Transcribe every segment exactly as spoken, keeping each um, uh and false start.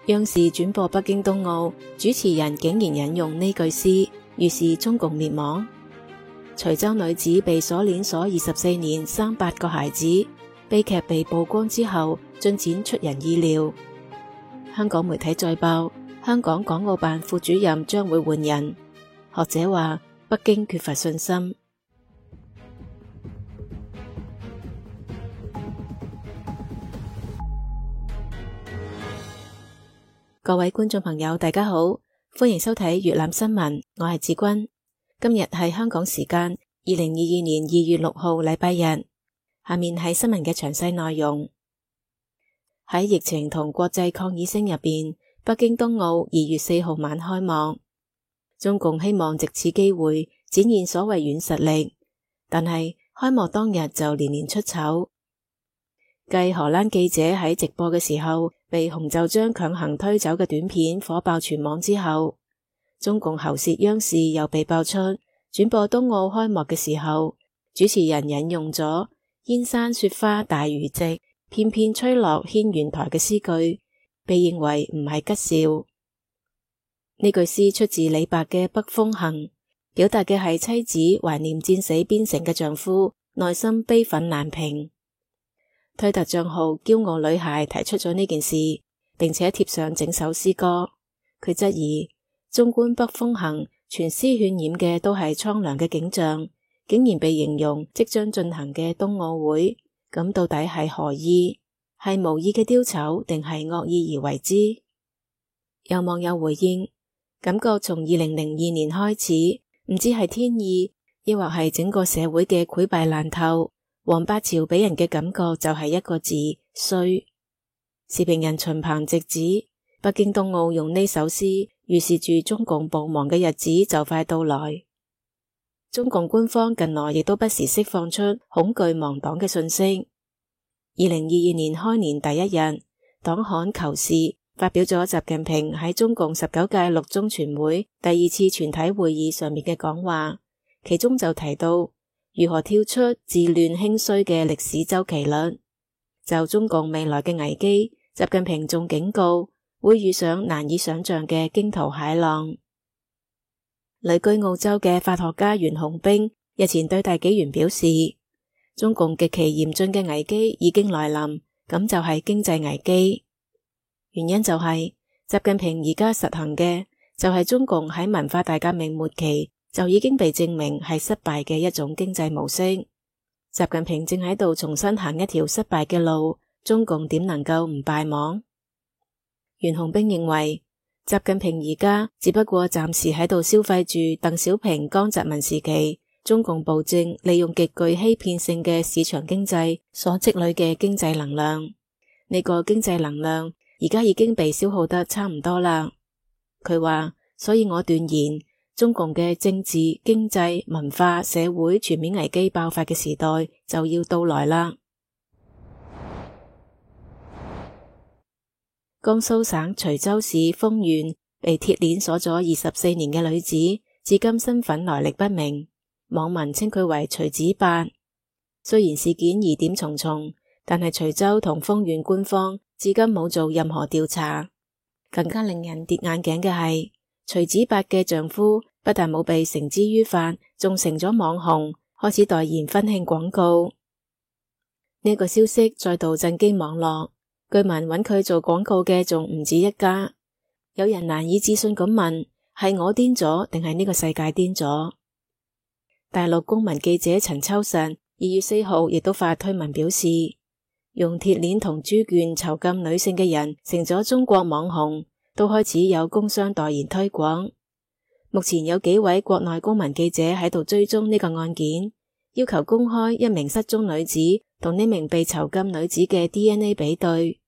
央視轉播北京冬奧，主持人竟然引用呢句詩，預示中共滅亡。徐州女子被鎖鏈鎖二十四年，生八個孩子，悲劇被曝光之後，進展出人意料。香港媒體再報，香港港澳辦副主任將會換人。學者話，北京缺乏信心。各位觀眾朋友，大家好，歡迎收睇粵覽新聞，我係志君。今日係香港時間二零二二年二月六號禮拜日。下面係新聞嘅詳細內容。喺疫情同國際抗議聲入邊，北京冬奧二月四號晚開幕。中共希望藉此機會展現所謂軟實力，但係開幕當日就連連出醜。繼荷蘭記者喺直播嘅時候被洪就章強行推走嘅短片火爆全網之後，中共喉舌央視又被爆出轉播冬奧開幕嘅時候，主持人引用咗燕山雪花大如席，片片吹落軒轅台嘅詩句，被認為唔係吉兆。呢句詩出自李白嘅《北風行》，表達嘅係妻子懷念戰死邊城嘅丈夫，內心悲憤難平。推特賬號驕傲女孩提出咗呢件事，並且貼上整首詩歌。佢質疑，縱觀北風行，全詩渲染嘅都係蒼涼嘅景象，竟然被形容即將進行嘅冬奧會，咁到底係何意？係無意嘅丟醜，定係惡意而為之？有網友回應，感覺從二零零二年開始，唔知係天意，抑或係整個社會嘅潰敗爛透。黃八朝俾人嘅感覺就係一個字，衰。時評人秦鵬直指，北京冬奧用呢首詩預示住中共暴亡嘅日子就快到來。中共官方近來亦都不時釋放出恐懼亡黨嘅訊息。二零二二年開年第一日，黨刊求是發表咗習近平喺中共十九屆六中全會第二次全體會議上面嘅講話，其中就提到如何跳出治亂興衰嘅歷史周期率。就中共未來嘅危機，習近平仲警告會遇上難以想象嘅驚濤駭浪。旅居澳洲嘅法學家袁洪兵日前對大紀元表示，中共極其嚴峻嘅危機已經來臨，咁就係經濟危機。原因就係習近平而家實行嘅就係中共喺文化大革命末期就已經被證明係失敗嘅一種經濟模式。習近平正喺度重新行一條失敗嘅路，中共點能夠唔敗亡？袁洪兵認為，習近平而家只不過暫時喺度消費住鄧小平、江澤民時期中共暴政利用極具欺騙性嘅市場經濟所積累嘅經濟能量。呢個經濟能量而家已經被消耗得差唔多啦。佢話，所以我斷言，中共嘅政治、經濟、文化、社會全面危機爆發嘅時代就要到來啦。江蘇省徐州市豐縣被鐵鏈鎖咗二十四年嘅女子，至今身份來歷不明，網民稱佢為徐子八。雖然事件疑點重重，但係徐州同豐縣官方至今冇做任何調查。更加令人跌眼鏡嘅係，徐子八嘅丈夫不但冇被繩之於法，仲成咗網紅，開始代言婚慶廣告。呢個消息再度震驚網絡，據聞揾佢做廣告嘅仲唔止一家。有人難以置信咁問，係我癲咗定係呢個世界癲咗？大陸公民記者陳秋實二月四號亦都發推文表示，用鐵鏈同豬圈囚禁女性嘅人成咗中國網紅，都開始有工商代言推廣。目前有幾位國內公民記者喺度追蹤呢個案件，要求公開一名失蹤女子同呢名被囚禁女子嘅 D N A 比對。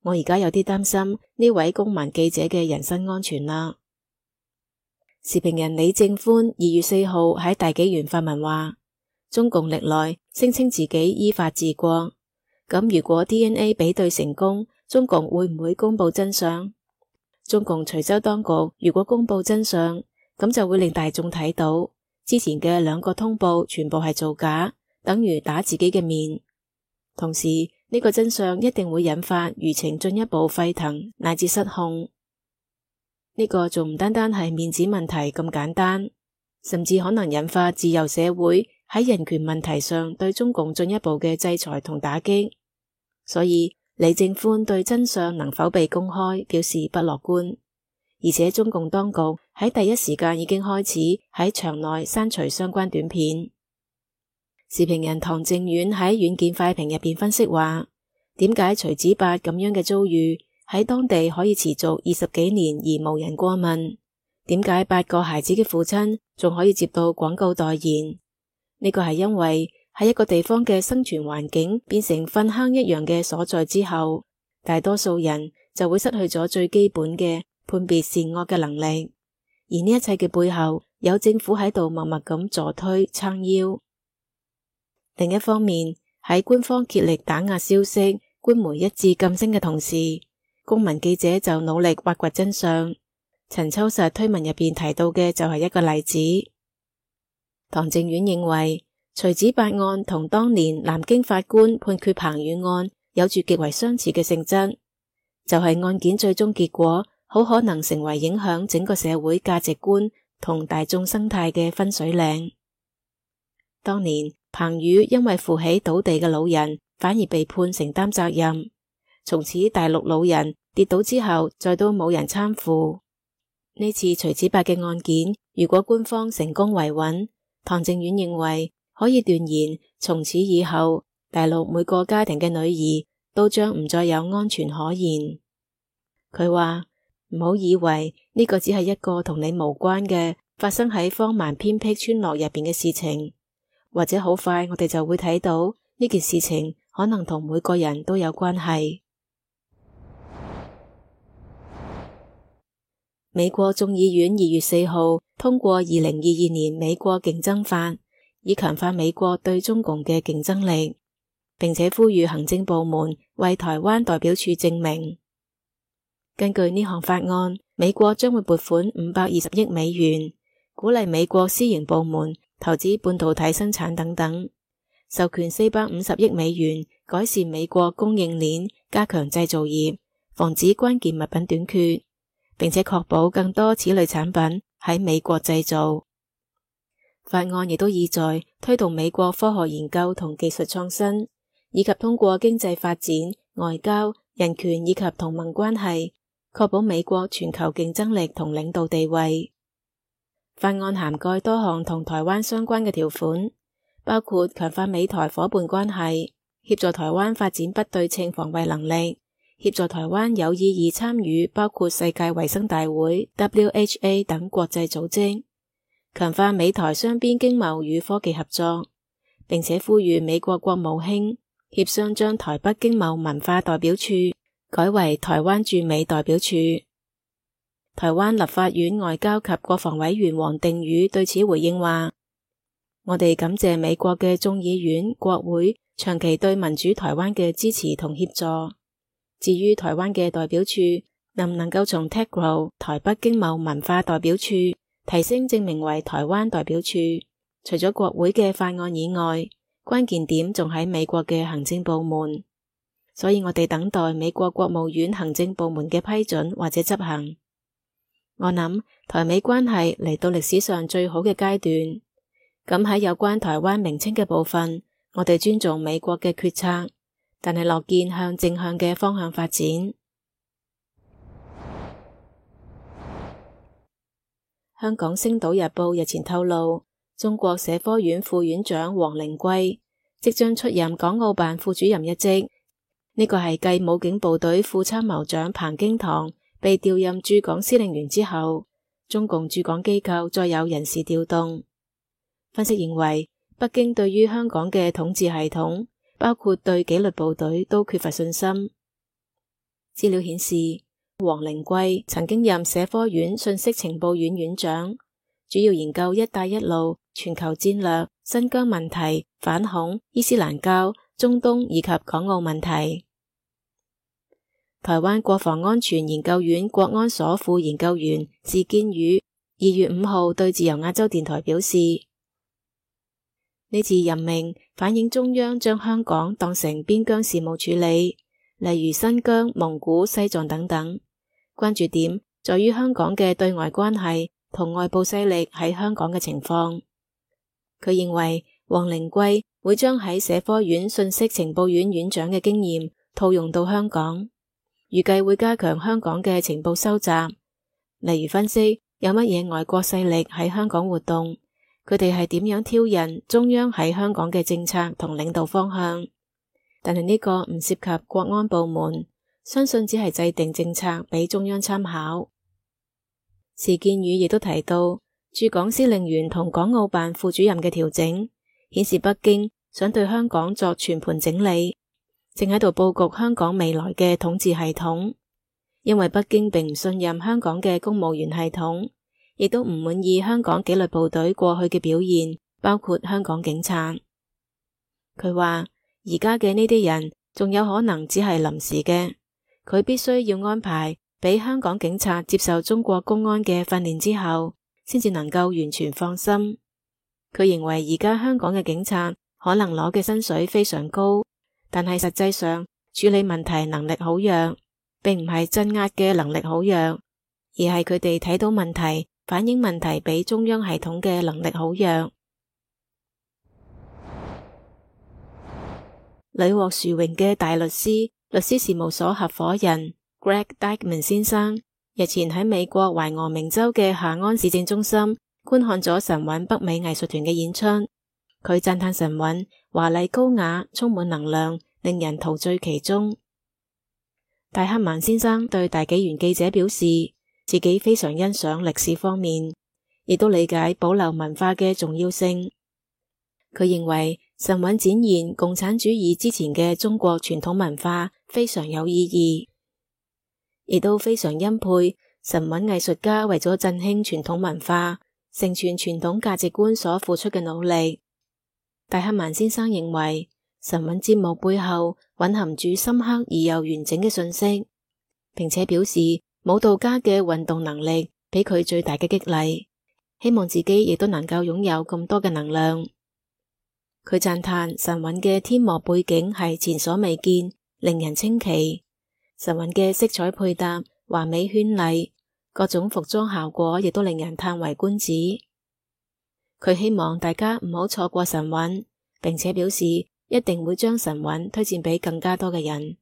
我而家有啲擔心呢位公民記者嘅人身安全啦。時評人李正歡二月四號喺大紀元發文話，中共歷來聲稱自己依法治國，咁如果 D N A 比對成功，中共會唔會公布真相？中共徐州當局如果公布真相，咁就會令大眾睇到之前嘅兩個通報全部係造假，等於打自己嘅面。同時呢個真相一定會引發輿情進一步沸騰乃至失控。呢個仲唔單單係面子問題咁簡單，甚至可能引發自由社會喺人權問題上對中共進一步嘅制裁同打擊。所以李正寬對真相能否被公開表示不樂觀，而且中共當局喺第一時間已經開始喺場內刪除相關短片。時評人唐靖遠喺軟件快評入邊分析話，點解徐子八咁樣嘅遭遇喺當地可以持續二十幾年而無人過問？點解八個孩子嘅父親仲可以接到廣告代言？呢個係因為喺一個地方嘅生存環境變成糞坑一樣嘅所在之後，大多數人就會失去咗最基本嘅判別善惡嘅能力，而呢一切嘅背後有政府喺度默默咁助推撐腰。另一方面，喺官方竭力打壓消息、官媒一致噤聲嘅同時，公民記者就努力挖掘真相。陳秋實推文入邊提到嘅就係一個例子。唐靖遠認為，徐子八案同當年南京法官判決彭宇案有住極為相似嘅性質，就係、是、案件最終結果好可能成為影響整個社會價值觀同大眾生態嘅分水嶺。當年彭宇因為扶起倒地嘅老人，反而被判承擔責任，從此大陸老人跌倒之後再都冇人攙扶。呢次徐子八嘅案件，如果官方成功維穩，唐靖遠認為可以斷言，從此以後大陸每個家庭嘅女兒都將唔再有安全可言。佢話唔好以為呢個只係一個同你無關嘅發生喺荒蠻偏僻村落入邊嘅事情，或者好快我哋就會睇到呢件事情可能同每個人都有關係。美國眾議院二月四號通過二零二二年美國競爭法，以強化美國對中共嘅競爭力，並且呼籲行政部門為台灣代表處證明。根據呢項法案，美國將會撥款五百二十億美元，鼓勵美國私營部門投資半導體生產等等，授權四百五十億美元改善美國供應鏈，加強製造業，防止關鍵物品短缺，並且確保更多此類產品喺美國製造。法案亦都意在推動美國科學研究同技術創新，以及通過經濟發展、外交、人權以及同盟關係，確保美國全球競爭力同領導地位。法案涵蓋多項同台灣相關嘅條款，包括強化美台夥伴關係，協助台灣發展不對稱防衛能力，協助台灣有意義參與包括世界衛生大會 W H A 等國際組織，強化美台雙邊經貿與科技合作，並且呼籲美國國務卿協商將台北經貿文化代表處改為台灣駐美代表處。台灣立法院外交及國防委員王定宇對此回應話，我哋感謝美國嘅眾議院、國會長期對民主台灣嘅支持同協助。至於台灣嘅代表處能唔能夠從 T E C R O 台北經貿文化代表處提升正名為台灣代表處，除咗國會嘅法案以外，關鍵點仲喺美國嘅行政部門，所以我哋等待美國國務院行政部門嘅批准或者執行。我諗台美關係嚟到歷史上最好嘅階段，咁喺有關台灣名稱嘅部分，我哋尊重美國嘅決策，但係樂見向正向嘅方向發展。香港星島日報日前透露，中國社科院副院長王靈桂即將出任港澳辦副主任一職，呢個係繼武警部隊副參謀長彭京堂被調任駐港司令員之後，中共駐港機構再有人事調動。分析認為，北京對於香港嘅統治系統，包括對紀律部隊都缺乏信心。資料顯示，王靈桂曾經任社科院信息情報院院長，主要研究一帶一路、全球戰略、新疆問題、反恐、伊斯蘭教、中東以及港澳問題。台灣國防安全研究院國安所副研究員士建宇二月五號對自由亞洲電台表示，呢次任命反映中央將香港當成邊疆事務處理，例如新疆、蒙古、西藏等等。關注點在於香港嘅對外關係同外部勢力喺香港嘅情況。佢認為王靈桂會將喺社科院信息情報院院長嘅經驗套用到香港，預計會加強香港嘅情報收集，例如分析有乜嘢外國勢力喺香港活動，佢哋係點樣挑釁中央喺香港嘅政策同領導方向。但係呢個唔涉及國安部門，相信只係制定政策俾中央參考。事建宇亦都提到，駐港司令員同港澳辦副主任嘅調整，顯示北京想對香港作全盤整理，正喺度佈局香港未來嘅統治系統。因為北京並唔信任香港嘅公務員系統，亦都唔滿意香港紀律部隊過去嘅表現，包括香港警察。佢話而家嘅呢啲人仲有可能只係臨時嘅，佢必須要安排俾香港警察接受中國公安嘅訓練之後，先至能夠完全放心。佢認為而家香港嘅警察可能攞嘅薪水非常高，但係實際上處理問題能力好弱，並唔係鎮壓嘅能力好弱，而係佢哋睇到問題、反映問題俾中央系統嘅能力好弱。屢獲殊榮嘅大律師、律師事務所合夥人 Greg Dykeman 先生日前喺美國懷俄明州嘅夏安市政中心觀看咗神韻北美藝術團嘅演出。佢讚嘆神韻華麗高雅，充滿能量，令人陶醉其中。戴克曼先生對大紀元記者表示，自己非常欣賞歷史方面，亦都理解保留文化嘅重要性。佢認為神韻展現共產主義之前嘅中國傳統文化非常有意義，亦都非常欽佩神韻藝術家為咗振興傳統文化、承傳傳統價值觀所付出嘅努力。戴克曼先生認為神韻節目背後蘊含住深刻而又完整嘅信息，並且表示舞蹈家嘅運動能力俾佢最大嘅激勵，希望自己亦都能夠擁有咁多嘅能量。佢讚嘆神韻嘅天幕背景係前所未見，令人稱奇。神韻嘅色彩配搭華美絢麗，各種服裝效果亦都令人嘆為觀止。佢希望大家唔好錯過神韻，並且表示一定會將神韻推薦俾更加多嘅人。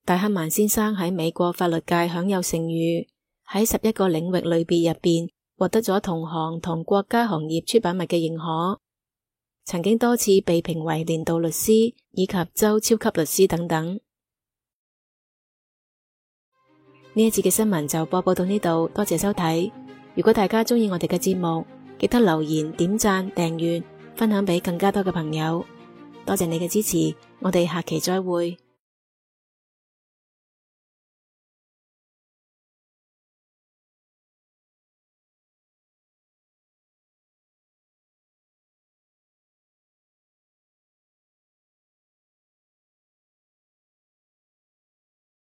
戴克曼先生喺美國法律界享有盛譽，喺十一個領域類別入邊獲得咗同行同國家行業出版物嘅認可，曾經多次被評為年度律師以及州超級律師等等。呢一節嘅新聞就播報到呢度，多謝收睇。如果大家鍾意我哋嘅節目，記得留言、點讚、訂閱、分享俾更加多嘅朋友。多謝你嘅支持，我哋下期再會。